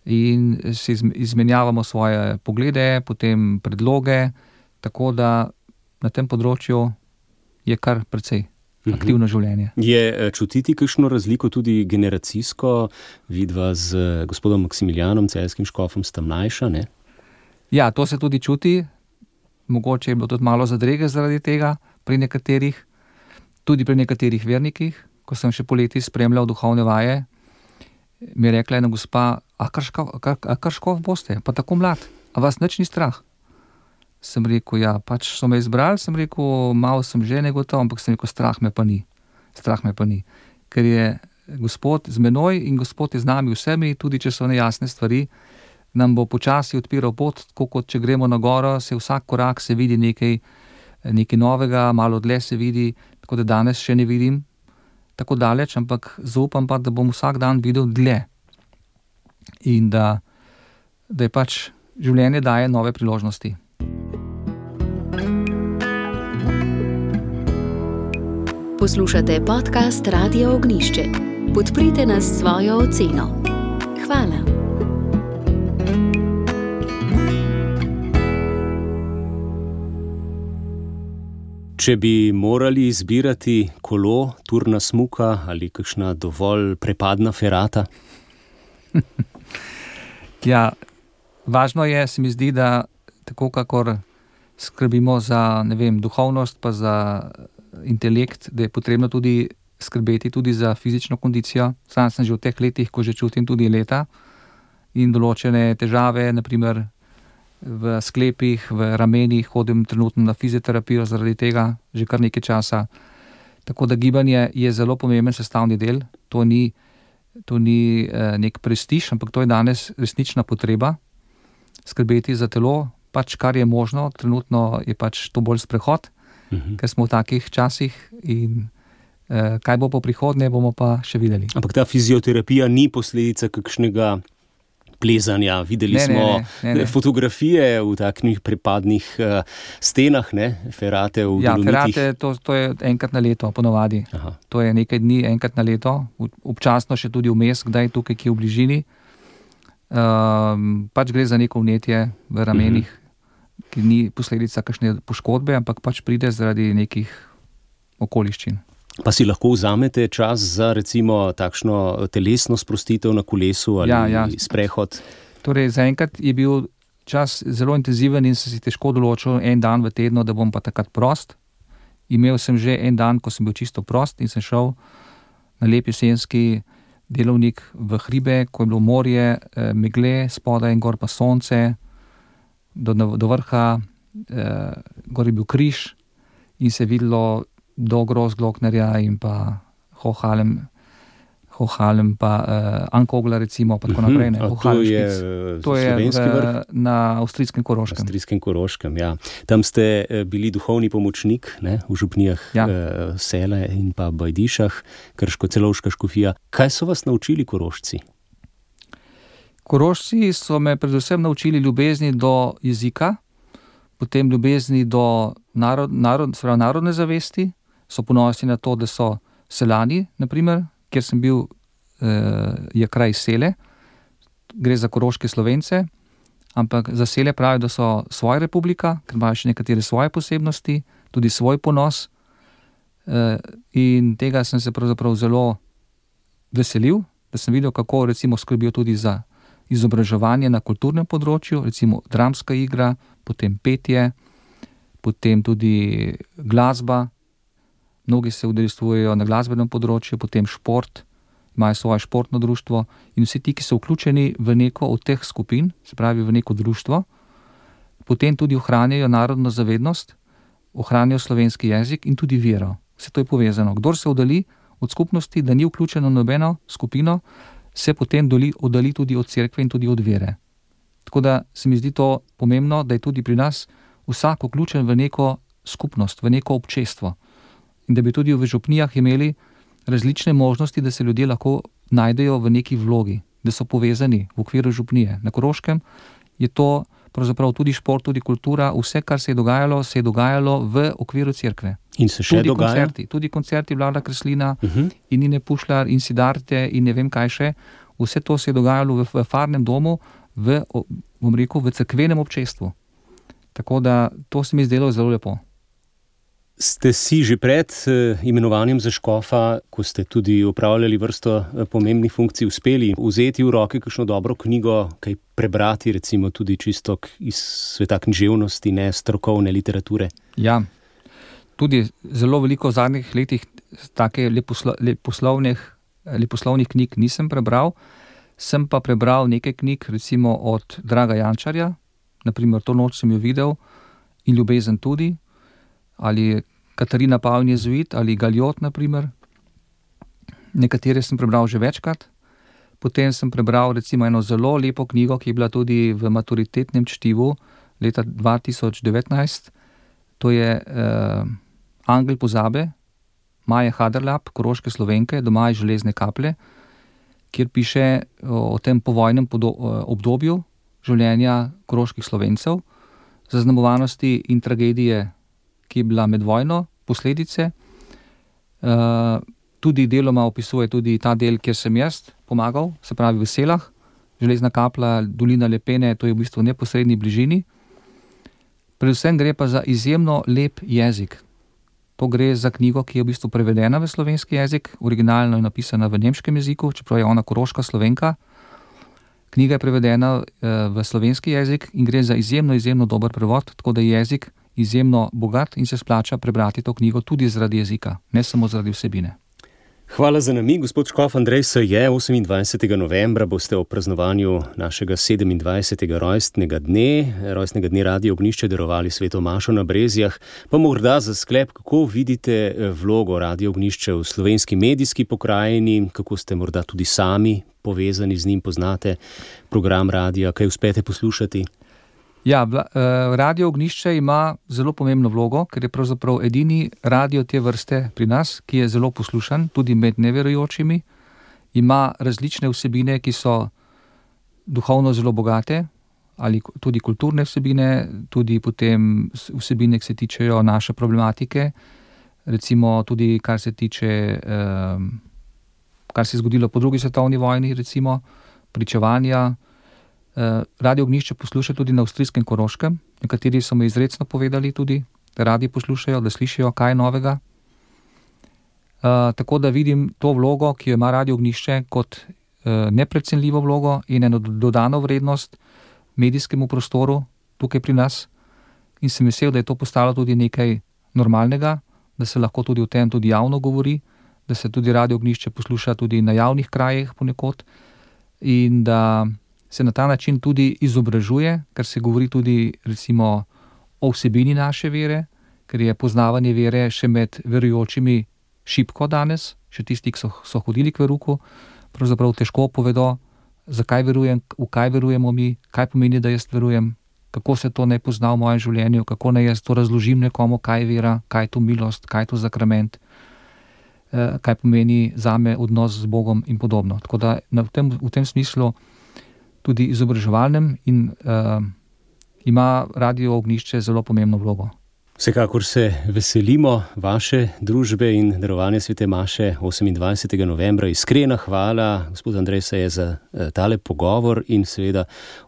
C: in si izmenjavamo svoje poglede, potem predloge, tako da na tem področju je kar precej aktivno življenje.
B: Je čutiti kakšno razliko tudi generacijsko? Vidva z gospodom Maksimilijanom, celjskim škofom, sta mlajša, ne?
C: Ja, to se tudi čuti. Mogoče je bilo tudi malo zadrege zaradi tega pri nekaterih, tudi pri nekaterih vernikih. Ko sem še poleti spremljal duhovne vaje, mi je rekla ena gospa, a kar škof boste, pa tako mlad, a vas nič ni strah? Sem rekel, ja, pač so me izbrali, sem rekel, malo sem že negotov, ampak sem rekel, strah me pa ni. Ker je Gospod z menoj in Gospod je z nami vsemi, tudi če so nejasne stvari, nam bo počasi odpiral pot, tako kot če gremo na goro, se vsak korak se vidi nekaj novega, malo dlje se vidi, tako da danes še ne vidim tako daleč, ampak zaupam pa, da bom vsak dan videl dlje. In da je pač življenje daje nove priložnosti.
A: Poslušate podcast Radia Ognišče. Podprite nas s svojo oceno. Hvala.
B: Če bi morali izbirati kolo, turna smuka ali kakšna dovolj prepadna ferata?
C: Ja, važno je, se mi zdi, da tako kakor skrbimo za, duhovnost pa za intelekt, da je potrebno tudi skrbeti tudi za fizično kondicijo. Sam sem že v teh letih, ko že čutim tudi leta in določene težave, naprimer v sklepih, v ramenih, hodim trenutno na fizioterapijo zaradi tega že kar nekaj časa. Tako da gibanje je zelo pomemben sestavni del. To ni nek prestiž, ampak to je danes resnična potreba. Skrbeti za telo, pač kar je možno, trenutno je pač to bolj sprehod, ker smo v takih časih in kaj bo po prihodnje, bomo pa še videli.
B: Ampak ta fizioterapija ni posledica kakšnega plezanja. Videli smo fotografije v takšnih prepadnih stenah, ferate v Dolomiti.
C: Ferate, to je enkrat na leto, ponovadi. Aha. To je nekaj dni, enkrat na leto, občasno še tudi vmes, kdaj tukaj, ki je v bližini. Pač gre za neko vnetje v ramenih, ki ni posledica kakšne poškodbe, ampak pač pride zaradi nekih okoliščin.
B: Pa si lahko vzamete čas za recimo takšno telesno sprostitev na kolesu ali sprehod?
C: Torej, zaenkrat je bil čas zelo intenziven in sem si težko določil en dan v tednu, da bom pa takrat prost. Imel sem že en dan, ko sem bil čisto prost in sem šel na lep jesenski delovnik v hribe, ko je bilo morje, megle, spodaj in gor pa sonce, do vrha, gor je bil križ in se je videlo do Groß Glocknerja in pa Hochhalem pa Ankogla recimo, pa tako naprej.
B: To je slovenski vrh?
C: Na avstrijskem Koroškem.
B: Avstrijskem Koroškem, ja. Tam ste bili duhovni pomočnik, ne, v župnijah Sele in pa Bajdišah, Krško-Celovška škofija. Kaj so vas naučili Korošci?
C: Korošci so me predvsem naučili ljubezni do jezika, potem ljubezni do narodne zavesti, so ponosni na to, da so Selani, naprimer, kjer sem bil, je kraj Sele, gre za koroške Slovence, ampak za Sele pravijo, da so svoja republika, ker imajo še nekatere svoje posebnosti, tudi svoj ponos, in tega sem se pravzaprav zelo veselil, da sem videl, kako recimo skrbijo tudi za izobraževanje na kulturnem področju, recimo dramska igra, potem petje, potem tudi glasba. Mnogi se udeležujejo na glasbenem področju, potem šport, imajo svoje športno društvo in vsi ti, ki so vključeni v neko od teh skupin, se pravi v neko društvo, potem tudi ohranjajo narodno zavednost, ohranjajo slovenski jezik in tudi vero. Vse to je povezano. Kdor se oddali od skupnosti, da ni vključen v nobeno skupino, se potem oddali tudi od cerkve in tudi od vere. Tako da se mi zdi to pomembno, da je tudi pri nas vsak vključen v neko skupnost, v neko občestvo. In da bi tudi v župnijah imeli različne možnosti, da se ljudje lahko najdejo v neki vlogi, da so povezani v okviru župnije. Na Koroškem je to pravzaprav tudi šport, tudi kultura, vse, kar se je dogajalo v okviru cerkve.
B: In se še dogaja?
C: Tudi koncerti Vlada Kreslina in Nine Pušlar in Sidarte in ne vem kaj še. Vse to se je dogajalo v farnem domu, v cerkvenem občestvu. Tako da to se mi zdelo zelo lepo.
B: Ste si že pred imenovanjem za škofa, ko ste tudi opravljali vrsto pomembnih funkcij, uspeli vzeti v roke kakšno dobro knjigo, kaj prebrati, recimo tudi čisto iz sveta književnosti, ne strokovne literature?
C: Ja, tudi zelo veliko v zadnjih letih take leposlovnih knjig nisem prebral, sem pa prebral nekaj knjig, recimo od Draga Jančarja, naprimer To noč sem jo videl in Ljubezen tudi, ali Katarina Pavin jezuit, ali Galjot, naprimer. Nekatere sem prebral že večkrat. Potem sem prebral recimo eno zelo lepo knjigo, ki je bila tudi v maturitetnem čtivu leta 2019. To je Angel pozabe, Maje Haderlap, koroške Slovenke, Doma iz železne kaplje, kjer piše o tem povojnem obdobju življenja koroških Slovencev, zaznamovanosti in tragedije, ki je bila med vojno, posledice. Tudi deloma opisuje tudi ta del, kjer sem jaz pomagal, se pravi v Selah, železna kaplja, dolina Lepene, to je v bistvu v neposredni bližini. Predvsem gre pa za izjemno lep jezik. To gre za knjigo, ki je v bistvu prevedena v slovenski jezik, originalno je napisana v nemškem jeziku, čeprav je ona koroška Slovenka. Knjiga je prevedena v slovenski jezik in gre za izjemno dober prevod, tako da je jezik izjemno bogat in se splača prebrati to knjigo tudi zaradi jezika, ne samo zaradi vsebine.
B: Hvala za namig, gospod škof Andrej Saje. 28. novembra boste ob praznovanju našega 27. rojstnega dne Radio Ognjišče darovali sveto mašo na Brezjah. Pa morda za sklep, kako vidite vlogo Radio Ognjišče v slovenski medijski pokrajini, kako ste morda tudi sami povezani z njim, poznate program radija, kaj uspete poslušati?
C: Ja, Radio Ognjišče ima zelo pomembno vlogo, ker je pravzaprav edini radio te vrste pri nas, ki je zelo poslušan, tudi med neverujočimi. Ima različne vsebine, ki so duhovno zelo bogate, ali tudi kulturne vsebine, tudi potem vsebine, ki se tičejo naše problematike, recimo tudi kar se tiče, kar se je zgodilo po drugi svetovni vojni, recimo, pričevanja, Radio Ognjišče posluša tudi na avstrijskem Koroškem. Nekateri so mi izrecno povedali tudi, da radi poslušajo, da slišijo kaj novega. Tako da vidim to vlogo, ki jo ima Radio Ognjišče, kot neprecenljivo vlogo in eno dodano vrednost medijskemu prostoru tukaj pri nas. In sem vesel, da je to postalo tudi nekaj normalnega, da se lahko tudi o tem tudi javno govori, da se tudi Radio Ognjišče posluša tudi na javnih krajih ponekod in da se na ta način tudi izobražuje, ker se govori tudi recimo o vsebini naše vere, ker je poznavanje vere še med verujočimi šibko danes, še tisti, ki so hodili k veruku, pravzaprav težko povedo, zakaj verujem, v kaj verujemo mi, kaj pomeni, da jaz verujem, kako se to ne pozna v mojem življenju, kako naj jaz to razložim nekomu, kaj je vera, kaj je to milost, kaj je to sakrament, kaj pomeni zame odnos z Bogom in podobno. Tako da v tem smislu tudi izobraževalnem in ima Radio Ognjišče zelo pomembno vlogo.
B: Vsekakor se veselimo vaše družbe in darovanja svete maše 28. novembra. Iskrena hvala, gospod Andrej Saje, za tale pogovor in seveda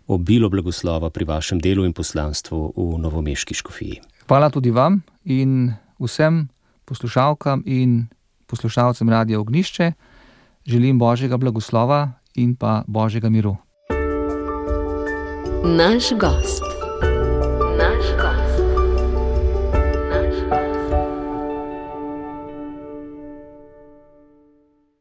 B: obilo blagoslova pri vašem delu in poslanstvu v novomeški škofiji.
C: Hvala tudi vam in vsem poslušalkam in poslušalcem Radia Ognjišče. Želim Božjega blagoslova in pa Božjega miru.
A: Naš gost.